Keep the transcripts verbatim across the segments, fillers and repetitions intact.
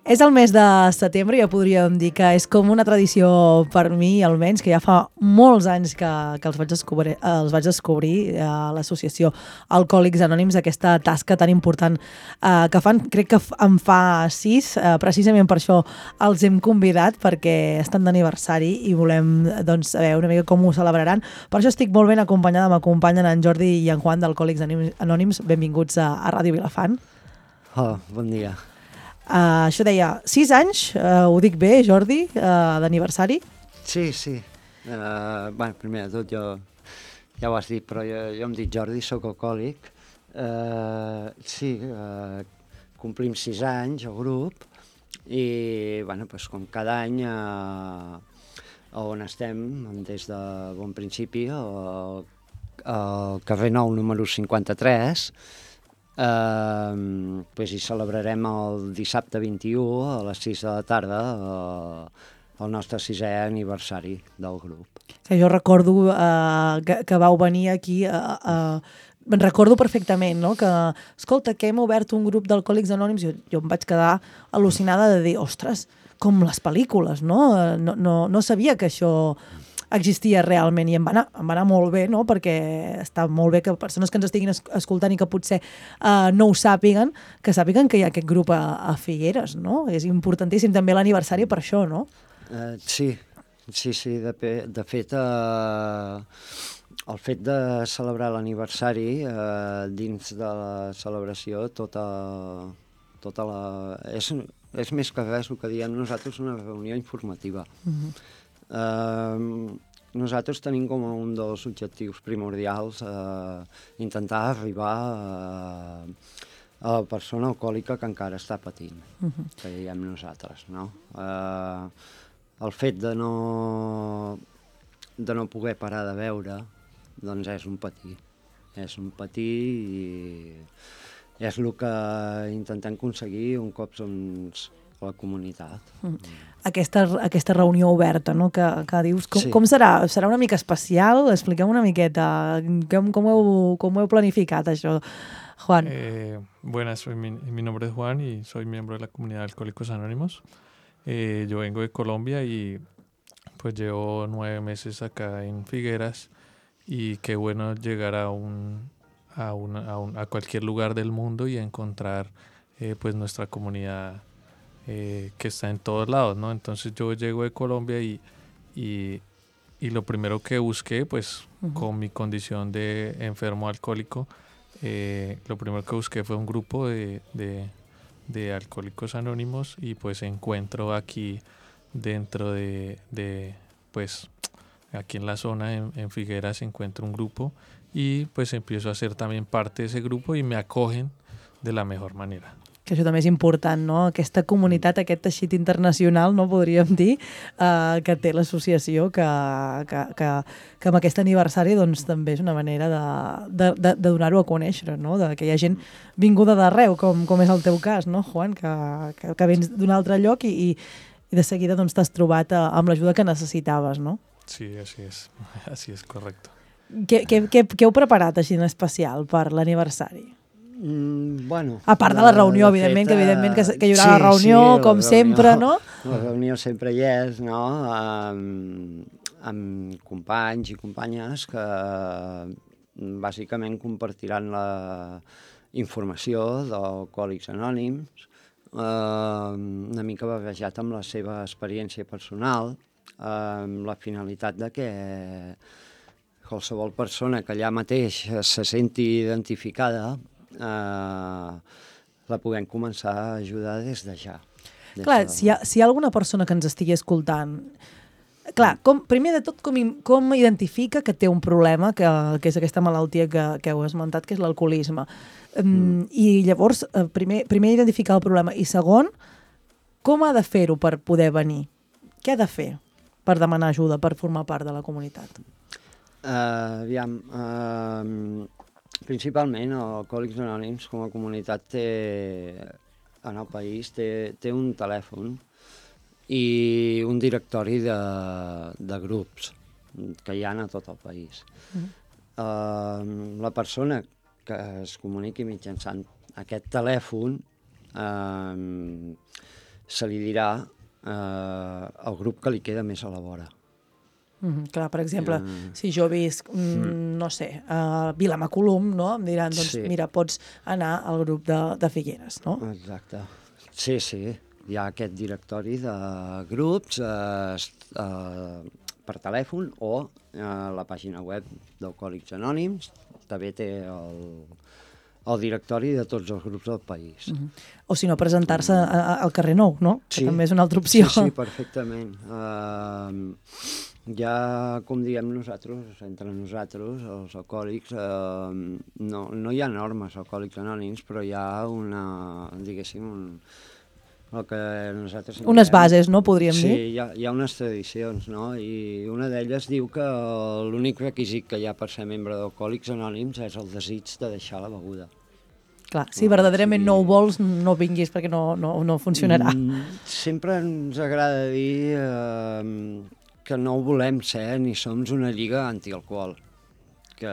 És el mes de setembre, ja podríem dir que és com una tradició per mi, almenys, que ja fa molts anys que, que els vaig descobrir, els vaig descobrir a l'associació Alcohòlics Anònims, aquesta tasca tan important eh, que fan, crec que en fa sis, eh, precisament per això els hem convidat, perquè estan d'aniversari i volem doncs, saber una mica com ho celebraran. Per això estic molt ben acompanyada, m'acompanyen en Jordi i en Juan d'Alcohòlics Anònims. Benvinguts a, a Ràdio Vilafant. Oh, bon dia. Uh, això deia, sis anys, uh, ho dic bé, Jordi, uh, d'aniversari? Sí, sí. Uh, bueno, primer de tot, jo ja ho has dit, però jo, jo em dic Jordi, soc alcohòlic. Uh, sí, uh, complim sis anys al grup i, bueno, pues, com cada any, uh, on estem, des de bon principi, al, al carrer Nou, número cinquanta-tres, Uh, pues hi celebrarem el dissabte vint-i-u a les sis de la tarda uh, el nostre sisè aniversari del grup. Que jo recordo uh, que, que vau venir aquí, uh, uh, me'n recordo perfectament, no? Que, escolta, que hem obert un grup d'Alcohòlics Anònims, jo, jo em vaig quedar al·lucinada de dir, ostres, com les pel·lícules, no? No, no, no sabia que això existia realment i em va anar, em va anar molt bé, no? Perquè està molt bé que persones que ens estiguin escoltant i que potser uh, no ho sàpiguen, que sàpiguen que hi ha aquest grup a, a Figueres, no? És importantíssim també l'aniversari per això, no? Uh, sí, sí, sí, de, de fet, uh, el fet de celebrar l'aniversari, uh, dins de la celebració, tota, tota la... És, és més que res el que diem nosaltres una reunió informativa. Uh-huh. Uh, nosaltres tenim com un dels objectius primordials uh, intentar arribar uh, a la persona alcohòlica que encara està patint, uh-huh. que diem nosaltres, no? Uh, el fet de no, de no poder parar de beure, doncs és un patir, és un patir i és el que intentem aconseguir un cop doncs, a la comunitat. Mm. Aquesta, aquesta reunió oberta, no?, que, que dius, com, sí. com serà? Serà una mica especial? Expliquem una miqueta com, com, heu, com heu planificat això, Juan. Eh, buenas, soy mi, mi nombre es Juan y soy miembro de la comunidad de Alcohólicos Anónimos. Eh, yo vengo de Colombia y pues llevo nueve meses acá en Figueras y qué bueno llegar a un, a, una, a, un, a cualquier lugar del mundo y encontrar eh, pues nuestra comunidad Eh, que está en todos lados, ¿no? Entonces yo llego de Colombia y, y, y lo primero que busqué, pues uh-huh. con mi condición de enfermo alcohólico, eh, lo primero que busqué fue un grupo de, de, de alcohólicos anónimos y pues encuentro aquí dentro de, de pues aquí en la zona, en, en Figueras, encuentro un grupo y pues empiezo a ser también parte de ese grupo y me acogen de la mejor manera. Que això també és important, no? Aquesta comunitat, aquest teixit internacional, no podríem dir, eh, que té l'associació, que, que, que, que amb aquest aniversari doncs, també és una manera de, de, de, de donar-ho a conèixer, no? De que hi ha gent vinguda d'arreu, com, com és el teu cas, no, Juan? Que, que, que vens d'un altre lloc i, i, i de seguida doncs, t'has trobat a, amb l'ajuda que necessitaves, no? Sí, així és, així és correcte. Què, què, què, què heu preparat així en especial per l'aniversari? Mm, bueno, a part de la reunió, evidentment, fet, que, evidentment que, que hi haurà sí, la reunió, sí, com la sempre, reunió, no? La reunió sempre hi és, no? Amb, amb companys i companyes que bàsicament compartiran la informació d'Alcohòlics Anònims, eh, una mica barrejat amb la seva experiència personal, eh, amb la finalitat de que qualsevol persona que allà mateix se senti identificada Uh, la puguem començar a ajudar des de ja. Des clar, de... si, hi ha, si hi ha alguna persona que ens estigui escoltant, clar, com, primer de tot, com, com identifica que té un problema, que, que és aquesta malaltia que, que heu esmentat, que és l'alcoholisme. Um, mm. I llavors, primer, primer identificar el problema, i segon, com ha de fer-ho per poder venir? Què ha de fer per demanar ajuda, per formar part de la comunitat? Uh, aviam... Uh... Principalment, Alcohòlics Anònims com a comunitat té, en el país té, té un telèfon i un directori de, de grups que hi ha a tot el país. Mm. Uh, la persona que es comuniqui mitjançant aquest telèfon uh, se li dirà eh, el grup que li queda més a la vora. Mm, clar, per exemple, Mm. si jo visc, mm, no sé, a Vilamacolum, no? Em diran, doncs, Sí. mira, pots anar al grup de, de Figueres, no? Exacte. Sí, sí. Hi ha aquest directori de grups eh, est- eh, per telèfon o eh, la pàgina web d'Alcohòlics Anònims. També té el, el directori de tots els grups del país. Mm -hmm. O si no, presentar-se a- a- al carrer Nou, no? Que Sí. també és una altra opció. Sí, sí, perfectament. Uh, ja, com diem nosaltres, entre nosaltres, els alcohòlics, uh, no, no hi ha normes alcohòlics anònims, però hi ha una, diguéssim, un, el que nosaltres... en Unes diem- bases, no? Podríem sí, dir. Sí, hi ha, hi ha unes tradicions, no? I una d'elles diu que l'únic requisit que hi ha per ser membre d'Alcohòlics Anònims és el desig de deixar la beguda. Clar, si No, verdaderament sí. no ho vols, no vinguis perquè no, no, no funcionarà. Mm, sempre ens agrada dir eh, que no ho volem ser ni som una lliga antialcohol. Que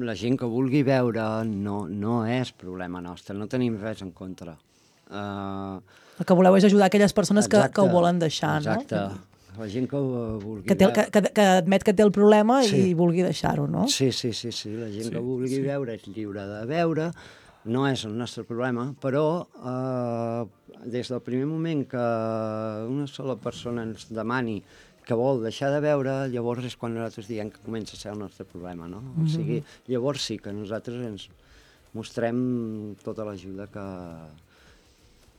la gent que vulgui beure no, no és problema nostre, no tenim res en contra. Uh, El que voleu és ajudar aquelles persones que, que ho volen deixar, exacte. no? Exacte. La gent que ho vulgui Que, té, el- que, que, que admet que té el problema Sí. i vulgui deixar-ho, no? Sí, sí, sí, sí. La gent Sí, que vulgui sí. beure és lliure de beure, no és el nostre problema, però eh, des del primer moment que una sola persona ens demani que vol deixar de beure, llavors és quan nosaltres diem que comença a ser el nostre problema, no? O sigui, llavors sí que nosaltres ens mostrem tota l'ajuda que,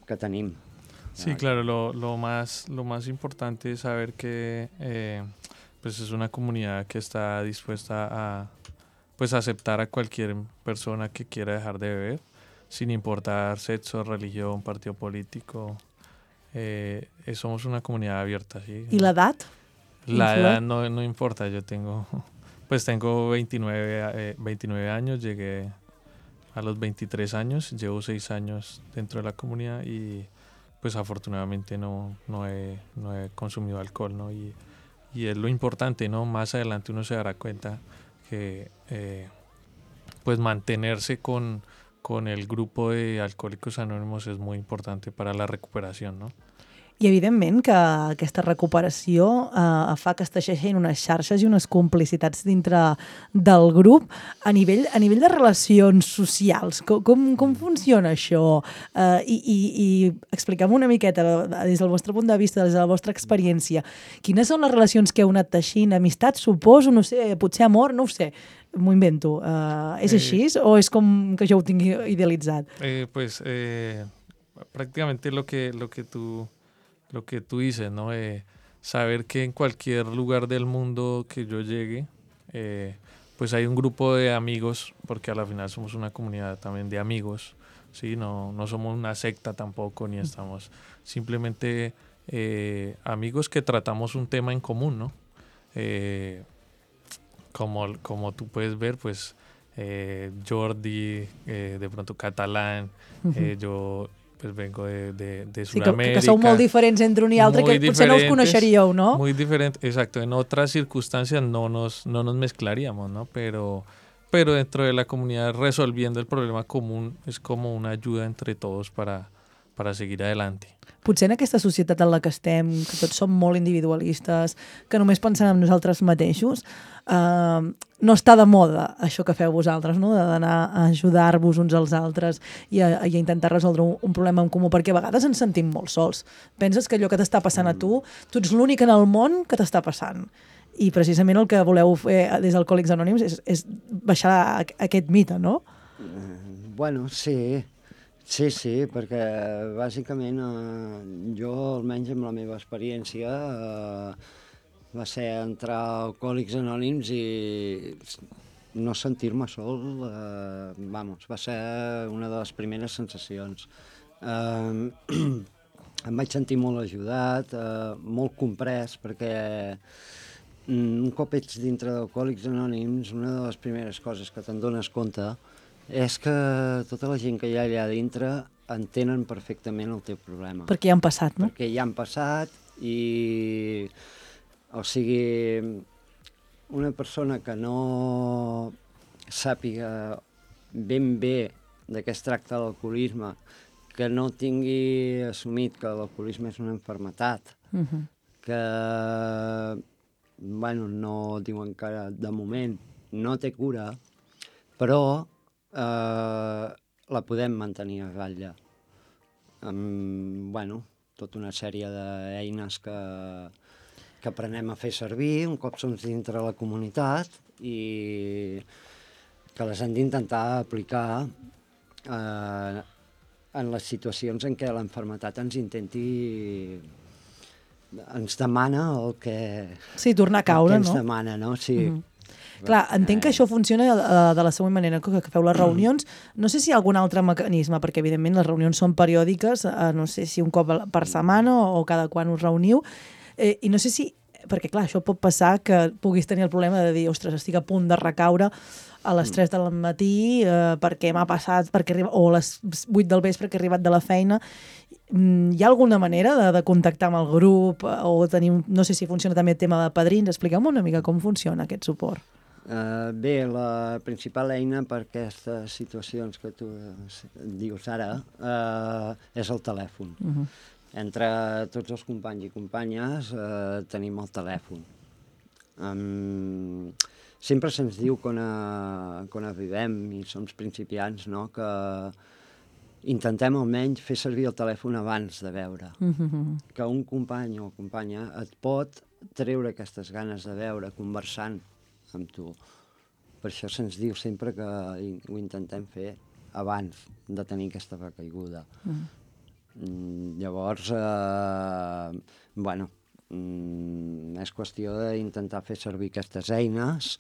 que tenim. Sí, claro, lo, lo, más, lo más importante es saber que eh, pues es una comunidad que está dispuesta a pues, aceptar a cualquier persona que quiera dejar de beber, sin importar sexo, religión, partido político. Eh, eh, somos una comunidad abierta, ¿sí? I l'edat? La influye? edad no, no importa, yo tengo, pues tengo veintinueve, eh, veintinueve años, llegué a los veintitrés años, llevo seis años dentro de la comunidad y pues afortunadamente no, no, he, no he consumido alcohol, ¿no? Y, y es lo importante, ¿no? Más adelante uno se dará cuenta que eh, pues mantenerse con, con el grupo de Alcohòlics Anònimos es muy importante para la recuperación, ¿no? I evidentment que aquesta recuperació eh, fa que es teixeixin unes xarxes i unes complicitats dintre del grup a nivell, a nivell de relacions socials. Com, com, com funciona això? Eh, i, i, I expliquem una miqueta, des del vostre punt de vista, des de la vostra experiència, quines són les relacions que heu anat teixint? Amistat, suposo, no sé, potser amor, no ho sé. M'ho invento. Eh, és Eh, així o és com que jo ho tingui idealitzat? Eh, pues eh, prácticamente lo que, lo que tú lo que tú dices, ¿no? Eh, saber que en cualquier lugar del mundo que yo llegue, eh, pues hay un grupo de amigos, porque a la final somos una comunidad también de amigos, ¿sí? No, no somos una secta tampoco, ni estamos simplemente eh, amigos que tratamos un tema en común, ¿no? Eh, como, como tú puedes ver, pues eh, Jordi, eh, de pronto catalán, eh, yo pues vengo de, de, de Sí, que, Sudamérica. que sou molt diferents entre un i altre, que muy potser no us diferentes, coneixeríeu, no? Muy diferente, exacto. En otras circunstancias no nos, no nos mezclaríamos, ¿no? Pero, pero dentro de la comunidad resolviendo el problema común es como una ayuda entre todos para, para seguir adelante. Potser en aquesta societat en la que estem, que tots som molt individualistes, que només pensem en nosaltres mateixos, eh, no està de moda això que feu vosaltres, no? D'anar a ajudar-vos uns als altres i a, i a intentar resoldre un, un problema en comú, perquè a vegades ens sentim molt sols. Penses que allò que t'està passant a tu, tu ets l'únic en el món que t'està passant. I precisament el que voleu fer des d'Alcohòlics Anònims és, és baixar aquest mite, no? Eh, bueno, sí, sí, sí, perquè bàsicament eh, jo, almenys amb la meva experiència, eh, va ser entrar a Alcohòlics Anònims i no sentir-me sol, eh, vamos, va ser una de les primeres sensacions. Eh, em vaig sentir molt ajudat, eh, molt comprès, perquè un cop ets dintre d'Alcohòlics Anònims, una de les primeres coses que te'n dones compte és que tota la gent que hi ha allà dintre entenen perfectament el teu problema. Perquè ja han passat, no? Perquè ja han passat i... O sigui, una persona que no sàpiga ben bé de què es tracta l'alcoholisme, que no tingui assumit que l'alcoholisme és una malaltia, Uh -huh. que, bueno, no diuen que de moment no té cura, però eh, la podem mantenir a ratlla. Amb, bueno, tota una sèrie d'eines que, que aprenem a fer servir un cop som dintre la comunitat i que les hem d'intentar aplicar eh, en les situacions en què l'enfermetat ens intenti ens demana el que... Sí, tornar a caure, el que ens no? demana, no? Sí. Uh -huh. Clar, entenc que això funciona uh, de la següent manera, que, que feu les reunions. No sé si hi ha algun altre mecanisme, perquè evidentment les reunions són periòdiques, uh, no sé si un cop per setmana o, o cada quan us reuniu, eh, i no sé si, perquè clar, això pot passar que puguis tenir el problema de dir, ostres, estic a punt de recaure a les tres del matí eh, perquè m'ha passat, perquè arriba, o a les vuit del vespre que he arribat de la feina. Hi ha alguna manera de, de contactar amb el grup o tenir, no sé si funciona també el tema de padrins? Expliqueu-me una mica com funciona aquest suport. Uh, bé, la principal eina per aquestes situacions que tu dius ara uh, és el telèfon. Uh -huh. Entre tots els companys i companyes uh, tenim el telèfon. Um, sempre se'ns diu quan, a, quan arribem i som principiants, no?, que intentem almenys fer servir el telèfon abans de veure. Uh-huh. Que un company o companya et pot treure aquestes ganes de veure conversant amb tu. Per això se'ns diu sempre que ho intentem fer abans de tenir aquesta recaiguda. Uh-huh. Mm, llavors, eh, bueno, mm, és qüestió d'intentar fer servir aquestes eines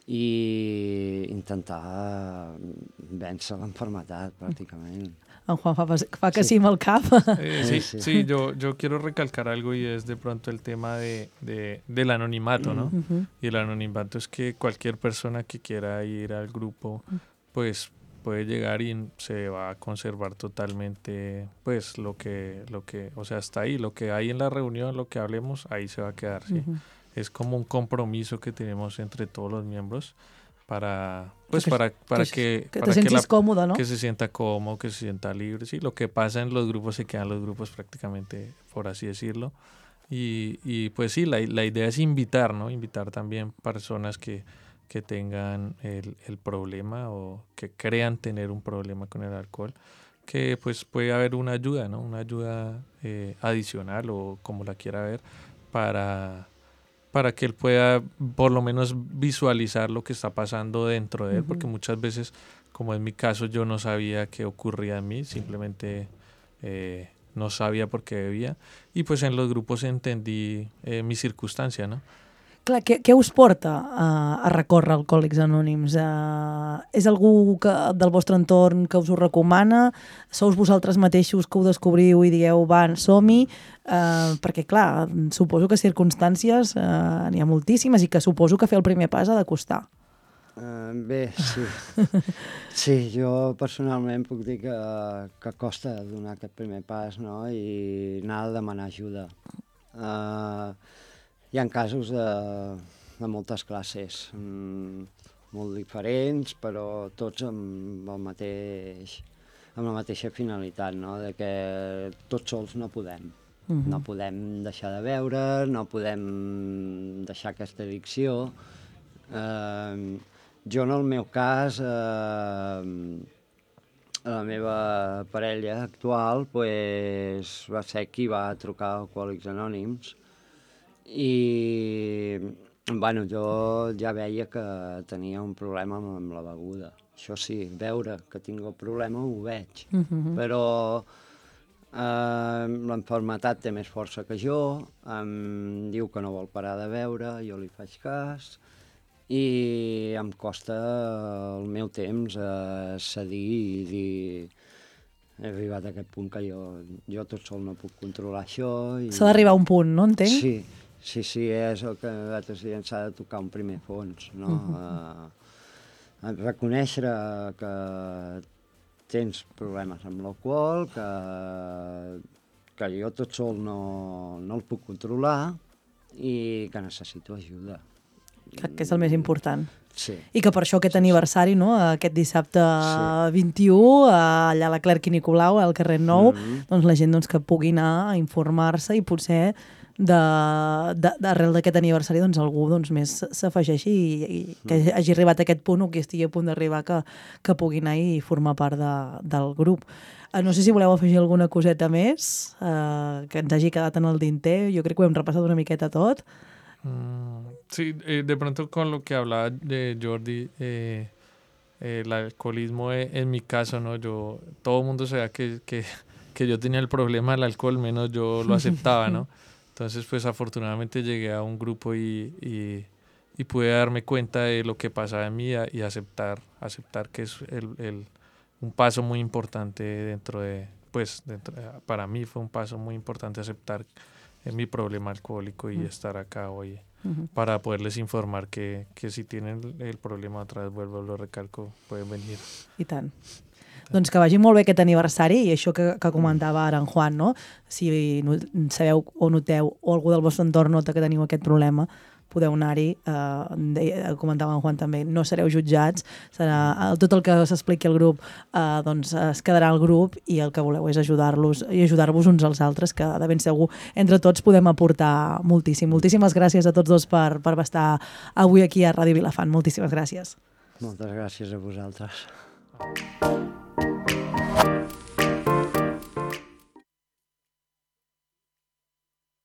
i intentar vèncer l'enfermetat, pràcticament. En Juan fa, fa que sí amb el cap. Eh, sí, sí, sí yo, yo quiero recalcar algo y es de pronto el tema de, de, del anonimato, ¿no? Uh-huh. Y el anonimato es que cualquier persona que quiera ir al grupo, pues puede llegar y se va a conservar totalmente, pues lo que, lo que, o sea, hasta ahí, lo que hay en la reunión, lo que hablemos, ahí se va a quedar, ¿sí? Uh-huh. Es como un compromiso que tenemos entre todos los miembros para pues que, para para que, que, para te que, la, cómodo, ¿no? que se sienta cómodo, que se sienta libre, sí, lo que pasa en los grupos se quedan los grupos prácticamente, por así decirlo, y, y pues sí, la, la idea es invitar, ¿no? Invitar también personas que, que tengan el, el problema o que crean tener un problema con el alcohol, que pues puede haber una ayuda, ¿no? Una ayuda eh, adicional o como la quiera ver para para que él pueda por lo menos visualizar lo que está pasando dentro de él, uh-huh. porque muchas veces, como en mi caso, yo no sabía qué ocurría en mí, simplemente eh, no sabía por qué bebía, y pues en los grupos entendí eh, mi circunstancia, ¿no? Clar, què, què us porta a, a recórrer Alcohòlics Anònims? Uh, és algú que, del vostre entorn que us ho recomana? Sous vosaltres mateixos que ho descobriu i digueu, va, som-hi? Uh, perquè, clar, suposo que circumstàncies uh, n'hi ha moltíssimes i que suposo que fer el primer pas ha de costar. Uh, bé, sí. Sí, jo personalment puc dir que, que costa donar aquest primer pas, no?, i anar a demanar ajuda. Uh, Hi ha casos de, de moltes classes, mm, molt diferents, però tots amb, el mateix, amb la mateixa finalitat, no?, de que tots sols no podem. Uh-huh. No podem deixar de beure, no podem deixar aquesta addicció. Eh, jo, en el meu cas, eh, la meva parella actual pues, va ser qui va trucar a Alcohòlics Anònims, i bueno, jo ja veia que tenia un problema amb, amb la beguda. Això sí, veure que tinc el problema ho veig, uh-huh. però eh, l'enfermetat té més força que jo, em diu que no vol parar de beure, jo li faig cas i em costa el meu temps a cedir i dir he arribat a aquest punt que jo, jo tot sol no puc controlar això. I... S'ha d'arribar a un punt, no entenc? Sí. Sí, sí, és el que nosaltres diem, s'ha de tocar un primer fons, no? Uh-huh. Uh, reconèixer que tens problemes amb l'alcohol, que, que jo tot sol no, no el puc controlar i que necessito ajuda. que, que és el més important. Sí. I que per això aquest aniversari, no? Aquest dissabte Sí. vint-i-u, allà a la Clerc i Nicolau, al carrer Nou, Mm-hmm. doncs la gent doncs, que pugui anar a informar-se i potser de- de- d'arrel d'aquest aniversari doncs, algú doncs, més s'afegeixi i, i que hagi arribat a aquest punt o que estigui a punt d'arribar que, que pugui anar i formar part de, del grup. Eh, No sé si voleu afegir alguna coseta més eh, que ens hagi quedat en el dinter. Jo crec que ho hem repassat una miqueta tot. Mm, sí, eh, de pronto con lo que hablaba de Jordi, eh, eh, el alcoholismo eh, en mi caso, ¿no? Yo, todo el mundo sabía que, que, que yo tenía el problema del alcohol, menos yo lo aceptaba, ¿no? Entonces, pues afortunadamente llegué a un grupo y, y, y pude darme cuenta de lo que pasaba en mí a- y aceptar, aceptar que es el, el- un paso muy importante dentro de, pues, dentro, para mí fue un paso muy importante aceptar eh, mi problema alcohólico y Mm. estar acá hoy Mhm. para poderles informar que, que si tienen el, el problema otra vez, vuelvo, lo recalco, pueden venir. I tant. Doncs que vagi molt bé aquest aniversari i això que, que comentava ara en Juan, no? Si no, sabeu o noteu o algú del vostre entorn nota que teniu aquest problema, podeu anar-hi, eh, deia- comentava en Juan també, no sereu jutjats, serà, eh, tot el que s'expliqui al grup eh, doncs es quedarà al grup i el que voleu és ajudar-los i ajudar-vos uns als altres, que de ben segur entre tots podem aportar moltíssim. Moltíssimes gràcies a tots dos per, per estar avui aquí a Ràdio Vilafant. Moltíssimes gràcies. Moltes gràcies a vosaltres.